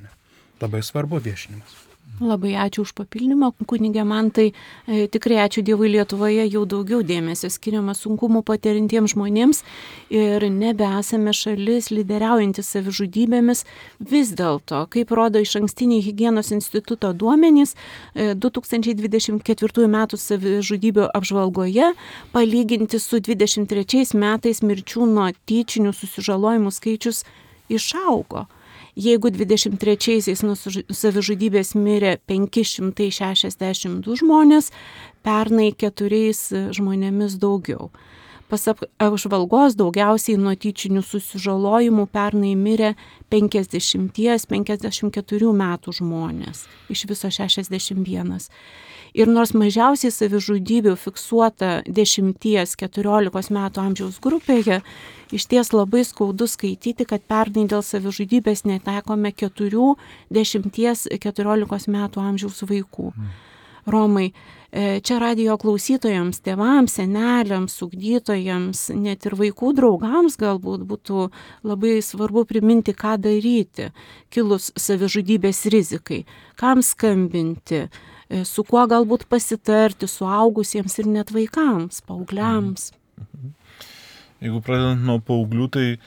Labai svarbu viešinimas. Labai ačiū už papildymą, kunige Mantai. Tikrai ačiū Dievui, Lietuvoje jau daugiau dėmesio skiriama sunkumų patirintiems žmonėms ir nebesame šalis lyderiaujantis savižudybėmis. Vis dėlto, kaip rodo Išankstiniai higienos instituto duomenys, 2024 metų savižudybių apžvalgoje palyginti su 2023 metais mirčių nuo tyčinių susižalojimų skaičius išaugo. Jeigu 23-aisiais nuo savižudybės mirė 562 žmonės, pernai 4 žmonėmis daugiau. Pasak apžvalgos daugiausiai nuo tyčinių susižalojimų pernai mirė 50-54 metų žmonės, iš viso 61. Ir nors mažiausiai savižudybių fiksuota 10-14 metų amžiaus grupėje, iš ties labai skaudu skaityti, kad pernai dėl savižudybės netekome 4-10-14 metų amžiaus vaikų. Romai, čia radijo klausytojams, tėvams, seneliams, ugdytojams, net ir vaikų draugams galbūt būtų labai svarbu priminti, ką daryti, kilus savižudybės rizikai, kam skambinti, su kuo galbūt pasitarti suaugusiems ir net vaikams, paaugliams. Jeigu pradedant nuo paauglių, tai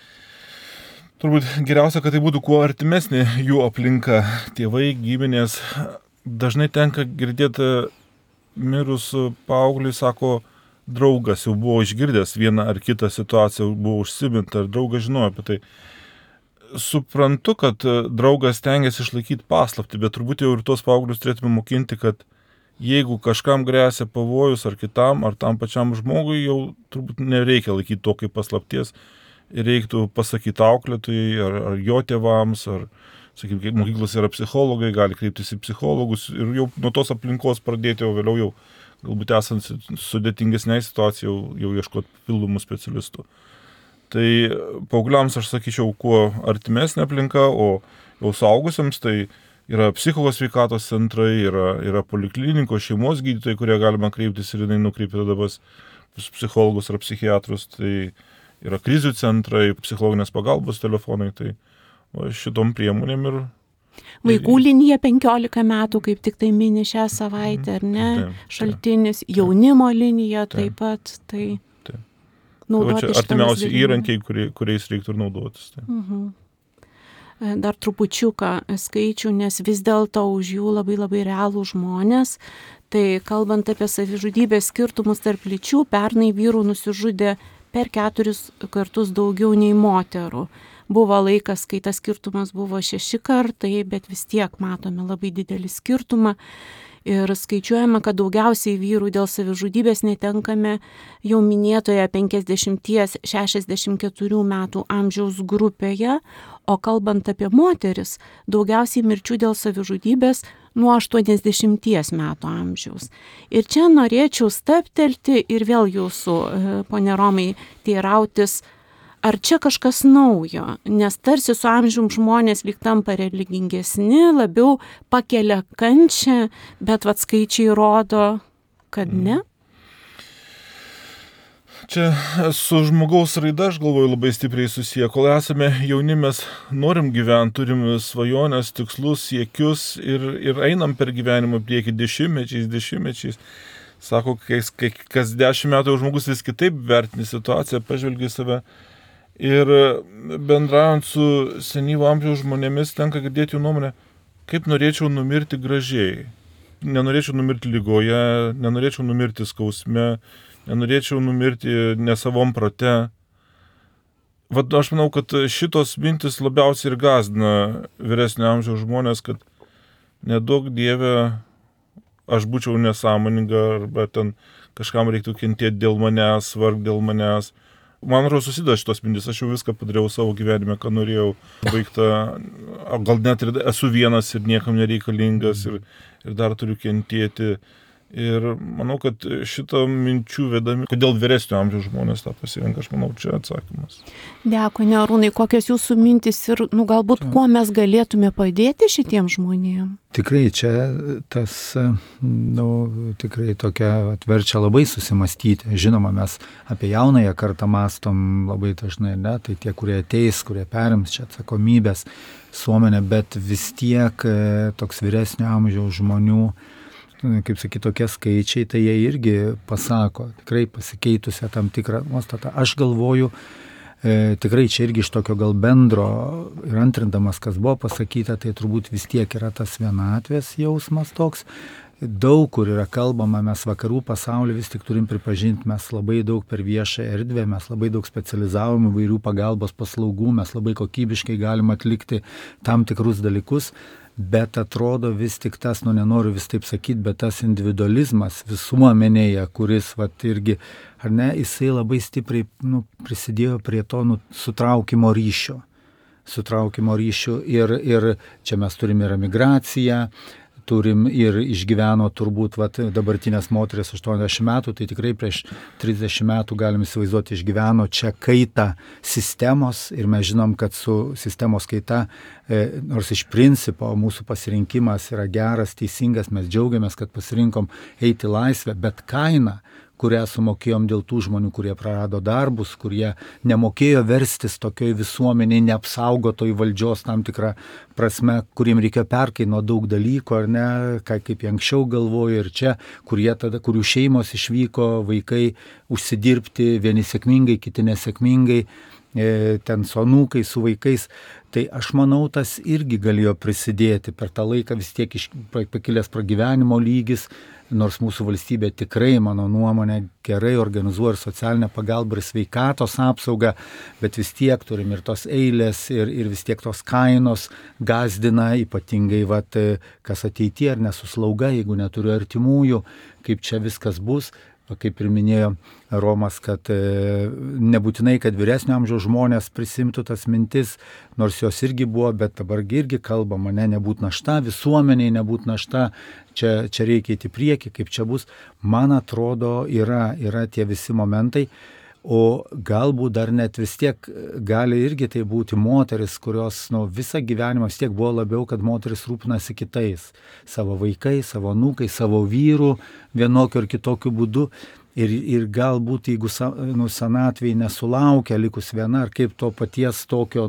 turbūt geriausia, kad tai būtų kuo artimesnė jų aplinka, tėvai, giminės. Dažnai tenka girdėti mirus paaugliui, sako, draugas jau buvo išgirdęs vieną ar kitą situaciją, buvo užsiminta, ar draugas žinojo apie tai. Suprantu, kad draugas stengiasi išlaikyti paslaptį, bet turbūt jau ir tos paauglius turėtume mokinti, kad jeigu kažkam gresia pavojus ar kitam, ar tam pačiam žmogui, jau turbūt nereikia laikyti to kaip paslapties. Reiktų pasakyti auklėtojai ar jo tėvams, ar, sakykime, mokyklos yra psichologai, gali kreiptis į psichologus ir jau nuo tos aplinkos pradėti, o vėliau jau, galbūt esant sudėtingesnei situacijai, jau ieškoti papildomų specialistų. Tai paaugliams aš sakyčiau, kuo artimesnė aplinka, o jau suaugusiams tai yra psichikos sveikatos centrai, yra poliklinikos, šeimos gydytojai, kurie galima kreiptis ir jinai nukreipia tada pas psichologus ar psichiatrus, tai yra krizių centrai, psichologinės pagalbos telefonai, tai šitom priemonėm ir Vaikų linija 15 metų, kaip tik tai mini šią savaitę, ar ne? Šaltinis, jaunimo linija taip pat, tai naudoti čia artimiausi įrankiai, kuriais reiktų ir naudotis. Dar trupučiuką skaičių, nes vis dėlto už jų labai labai realų žmonės. Tai kalbant apie savižudybės skirtumus tarp lyčių, pernai vyrų nusižudė per 4 kartus daugiau nei moterų. Buvo laikas, kai tas skirtumas buvo 6 kartai, bet vis tiek matome labai didelį skirtumą. Ir skaičiuojama, kad daugiausiai vyrų dėl savižudybės netenkame jau minėtoje 50-64 metų amžiaus grupėje, o kalbant apie moteris, daugiausiai mirčių dėl savižudybės nuo 80 metų amžiaus. Ir čia norėčiau stabtelti ir vėl jūsų, pone Romai, teirautis, ar čia kažkas naujo, nes tarsi su amžium žmonės lyg tampa religingesni, labiau pakelia kančią, bet skaičiai rodo, kad ne. Čia su žmogaus raida, aš galvoju, labai stipriai susiję. Kol esame jauni, mes norim gyventi, turim svajonės, tikslus, siekius ir einam per gyvenimą prieki dešimtmečiais. Sako, kas 10 metų jau žmogus vis kitaip vertini situaciją, pažvelgia save. Ir bendraujant su senyvo amžiaus žmonėmis tenka girdėti jų nuomonę, kaip norėčiau numirti gražiai. Nenorėčiau numirti lygoje, nenorėčiau numirti skausme, nenorėčiau numirti nesavom prote. Aš manau, kad šitos mintis labiausiai ir gąsdina vyresnio amžiaus žmonės, kad nedaug Dieve aš būčiau nesąmoninga arba ten kažkam reiktų kentėti dėl manęs, varg dėl manęs. Man atrodo, susideda šitos mintis, aš jau viską padariau savo gyvenime, ką norėjau, baigta, gal net ir esu vienas ir niekam nereikalingas ir dar turiu kentėti. Ir manau, kad šitą minčių vedami, kodėl vyresnio amžiaus žmonės tą pasirenka, aš manau, čia atsakymas. Dėkui, Arūnai, kokios jūsų mintis ir, galbūt, kuo mes galėtume padėti šitiem žmonėm? Tikrai čia tas, tikrai tokia atverčia labai susimastyti. Žinoma, mes apie jaunąją kartą mąstom labai dažnai, ne, tai tie, kurie ateis, kurie perims čia atsakomybės visuomenę, bet vis tiek toks vyresnio amžiaus žmonių, kaip sakyti, tokie skaičiai, tai jie irgi pasako, tikrai pasikeitusią tam tikrą nuostatą. Aš galvoju, tikrai čia irgi iš tokio gal bendro ir antrindamas, kas buvo pasakyta, tai turbūt vis tiek yra tas vienatvės jausmas toks. Daug kur yra kalbama, mes vakarų pasaulį vis tik turim pripažinti, mes labai daug per viešą erdvę, mes labai daug specializavom įvairių pagalbos paslaugų, mes labai kokybiškai galim atlikti tam tikrus dalykus. Bet atrodo vis tik tas, nenoriu vis taip sakyti, bet tas individualizmas visuomenėje, kuris irgi, ar ne, jisai labai stipriai prisidėjo prie to sutraukimo ryšio. Ir čia mes turime ir emigraciją, turim ir išgyveno turbūt dabartinės moteris 80 metų, tai tikrai prieš 30 metų galim įsivaizduoti išgyveno čia kaitą sistemos ir mes žinom, kad su sistemos kaita, nors iš principo mūsų pasirinkimas yra geras, teisingas, mes džiaugiamės, kad pasirinkom eiti laisvę, bet kaina, kurią sumokėjom dėl tų žmonių, kurie prarado darbus, kurie nemokėjo verstis tokioj visuomeniai, neapsaugotoj valdžios tam tikrą prasme, kuriem reikėjo perkainuoti daug dalykų, ar ne, kaip jie anksčiau galvojo ir čia, kurių šeimos išvyko, vaikai užsidirbti, vieni sėkmingai, kiti nesėkmingai, ten su anūkai, su vaikais. Tai aš manau, tas irgi galėjo prisidėti per tą laiką, vis tiek pakilęs pragyvenimo lygis, nors mūsų valstybė tikrai, mano nuomonė, gerai organizuoja ir socialinę pagalbą ir sveikatos apsaugą, bet vis tiek turim ir tos eilės ir vis tiek tos kainos gąsdina, ypatingai kas ateityje ar nesuslauga, jeigu neturiu artimųjų, kaip čia viskas bus. Kaip ir minėjo Romas, kad nebūtinai, kad vyresnio amžiaus žmonės prisimtų tas mintis, nors jos irgi buvo, bet dabar irgi kalbama, nebūt našta, visuomeniai nebūt našta, čia reikia įti priekį, kaip čia bus. Man atrodo, yra tie visi momentai, o galbūt dar net vis tiek gali irgi tai būti moteris, kurios visą gyvenimą vis tiek buvo labiau, kad moteris rūpinasi kitais, savo vaikais, savo anūkais, savo vyrų, vienokiu ar kitokiu būdu. ir galbūt jeigu senatvėje nesulaukia likus viena, ar kaip to paties tokio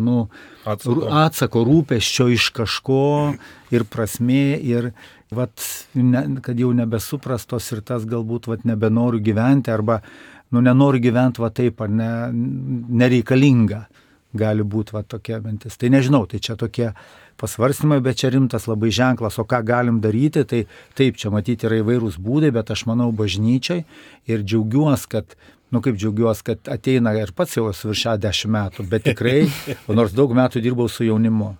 atsako rūpesčio iš kažko ir prasmė, ir kad jau nebesuprastos ir tas galbūt nebenoriu gyventi, arba nenoriu gyventi taip, ar nereikalinga. Gali būti tokia mintis. Tai nežinau, tai čia tokie pasvarstymai, bet čia rimtas labai ženklas, o ką galim daryti, tai taip, čia matyti yra įvairūs būdai, bet aš manau bažnyčiai ir džiaugiuosi, kad ateina ir pats jau esu virš 10 metų, bet tikrai, nors daug metų dirbau su jaunimu.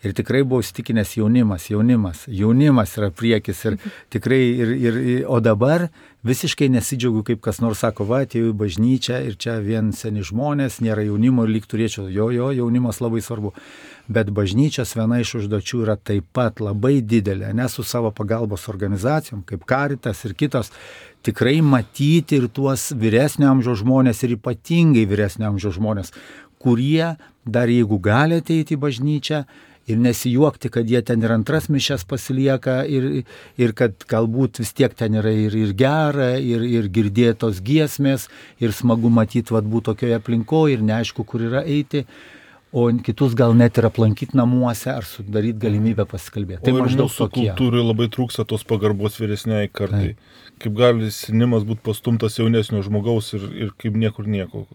Ir tikrai buvau įsitikinęs jaunimas yra priekis ir tikrai, o dabar visiškai nesidžiaugiu, kaip kas nors sako, atėjau į bažnyčią ir čia vien seni žmonės, nėra jaunimo ir lyg turėčiau, jaunimas labai svarbu. Bet bažnyčios viena iš užduočių yra taip pat labai didelė, nes su savo pagalbos organizacijom, kaip Caritas ir kitos, tikrai matyti ir tuos vyresnio amžiaus žmonės ir ypatingai vyresnio amžiaus žmonės, kurie dar jeigu gali ateiti į bažnyčią, ir nesijuokti, kad jie ten ir antras mišias pasilieka ir kad galbūt vis tiek ten yra ir gera, ir girdėtos giesmės, ir smagu matyti būt tokioje aplinkoje ir neaišku, kur yra eiti, o kitus gal net ir aplankyti namuose ar sudaryti galimybę pasikalbėti. Tai maždaug tokie. Kultūrai labai trūksta tos pagarbos vyresniai kartai. Kaip gali senimas būti pastumtas jaunesnio žmogaus ir kaip niekur nieko.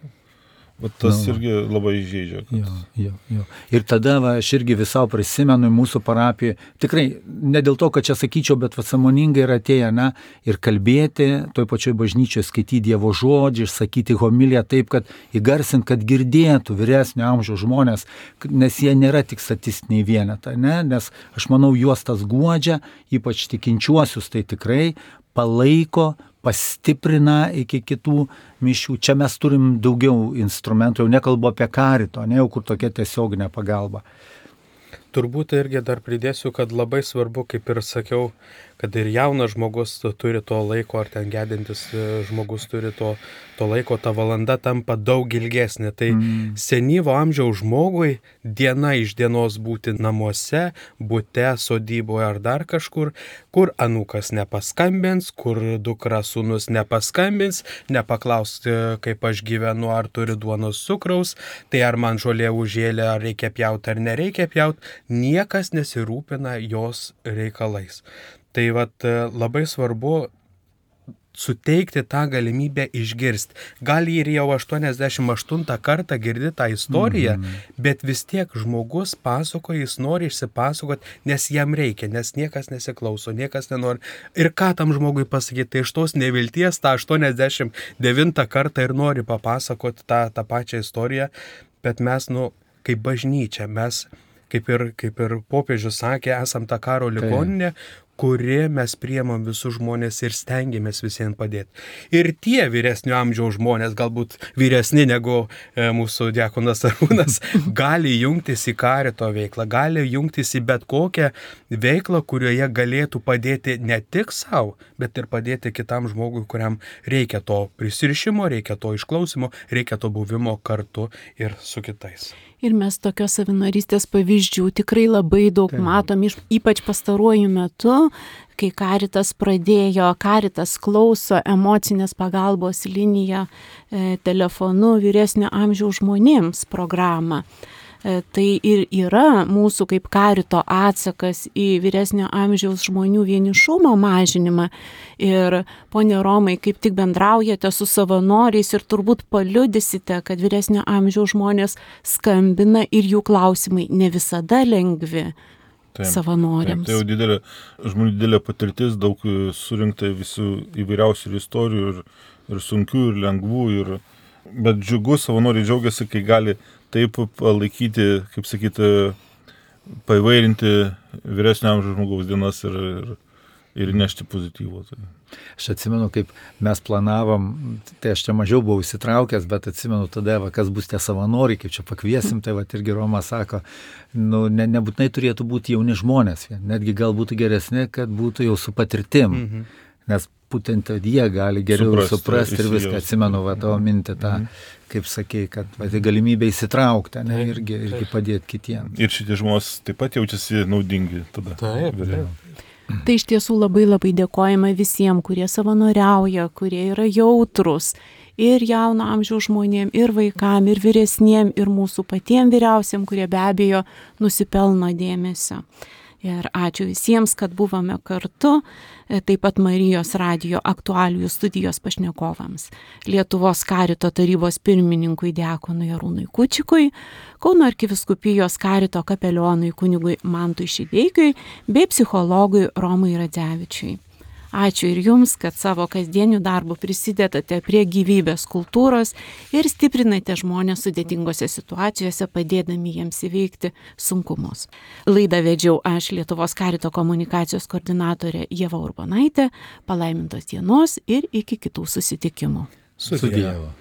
Tas irgi labai žaidžia. Jo. Ir tada aš irgi visau prisimenu mūsų parapiją, tikrai ne dėl to, kad čia sakyčiau, bet sąmoningai yra atėję, ir kalbėti, toj pačioj bažnyčioje skaityti Dievo žodžių, išsakyti homiliją taip, kad įgarsint, kad girdėtų vyresnio amžiaus žmonės, nes jie nėra tik statistiniai vienetai, nes aš manau, juos tas guodžia, ypač tikinčiuosius, tai tikrai palaiko, pastiprina iki kitų mišių. Čia mes turim daugiau instrumentų, jau nekalbu apie Carito, jau kur tokia tiesioginė pagalba. Turbūt irgi dar pridėsiu, kad labai svarbu, kaip ir sakiau, kad ir jaunas žmogus turi to laiko, ar ten gedintis žmogus turi to laiko, ta valanda tampa daug ilgesnė. Tai senyvo amžiaus žmogui diena iš dienos būti namuose, bute, sodyboje ar dar kažkur, kur anūkas nepaskambins, kur dukra sūnus nepaskambins, nepaklaus, kaip aš gyvenu, ar turi duonos cukraus, tai ar man žolė užėlė, ar reikia pjauti, ar nereikia pjauti, niekas nesirūpina jos reikalais. Tai labai svarbu suteikti tą galimybę išgirsti. Gal ir jau 88 kartą girdi tą istoriją, bet vis tiek žmogus pasakoja, jis nori išsipasakoti, nes jam reikia, nes niekas nesiklauso, niekas nenori. Ir ką tam žmogui pasakyti, tai iš tos nevilties tą 89 kartą ir nori papasakoti tą pačią istoriją, bet mes, kaip bažnyčia, mes, kaip ir popiežius sakė, esam ta karo ligoninė, kuri mes priemam visus žmonės ir stengiamės visiems padėti. Ir tie vyresnio amžiaus žmonės, galbūt vyresni negu mūsų diakonas Arūnas, gali jungtis į Carito veiklą, gali jungtis į bet kokią veiklą, kurioje galėtų padėti ne tik savo, bet ir padėti kitam žmogui, kuriam reikia to prisirišimo, reikia to išklausimo, reikia to buvimo kartu ir su kitais. Ir mes tokios savinorystės pavyzdžių tikrai labai daug matom, ypač pastaruoju metu, kai Caritas pradėjo, Caritas klauso emocinės pagalbos liniją telefonu vyresnio amžiaus žmonėms programą. Tai ir yra mūsų kaip Carito atsakas į vyresnio amžiaus žmonių vienišumo mažinimą. Ir ponė Romai, kaip tik bendraujate su savanoriais ir turbūt paliudysite, kad vyresnio amžiaus žmonės skambina ir jų klausimai ne visada lengvi savanoriams. Tai jau žmonių didelė patirtis, daug surinkta visų įvairiausių istorijų ir sunkių, ir lengvų. Bet džiugu, savanoriai džiaugiasi, kai gali taip palaikyti, kaip sakyti, paivairinti vyresnio amžiaus žmogaus dienas ir nešti pozityvų. Aš atsimenu, kaip mes planavom, tai aš čia mažiau buvau įsitraukęs, bet atsimenu tada, kas bus tie savanoriai, kaip čia pakviesim, tai irgi Roma sako, nebūtinai turėtų būti jauni žmonės, netgi gal būtų geresni, kad būtų jau su patirtim, nes būtent jie gali geriau suprasti ir viską. Atsimenu tavo mintį tą, kaip sakei, kad galimybė įsitraukti, irgi padėti kitiems. Ir šitie žmonės taip pat jaučiasi naudingi tada. Taip. Tai iš tiesų labai labai dėkojame visiems, kurie savanoriauja, kurie yra jautrus ir jauno amžiaus žmonėm, ir vaikam, ir vyresniem, ir mūsų patiem vyriausiam, kurie be abejo nusipelno dėmesio. Ir ačiū visiems, kad buvome kartu, taip pat Marijos radijo aktualijų studijos pašnekovams, Lietuvos karito tarybos pirmininkui diakonui Arūnui Kučikui, Kauno arkivyskupijos karito kapelionui kunigui Mantui Šideikiui bei psichologui Romui Radzevičiui. Ačiū ir jums, kad savo kasdienių darbų prisidedate prie gyvybės kultūros ir stiprinate žmonės sudėtingose situacijose, padėdami jiems įveikti sunkumus. Laidą vedžiau aš, Lietuvos karito komunikacijos koordinatorė Ieva Urbonaitė. Palaimintos dienos ir iki kitų susitikimų. Su Dievu.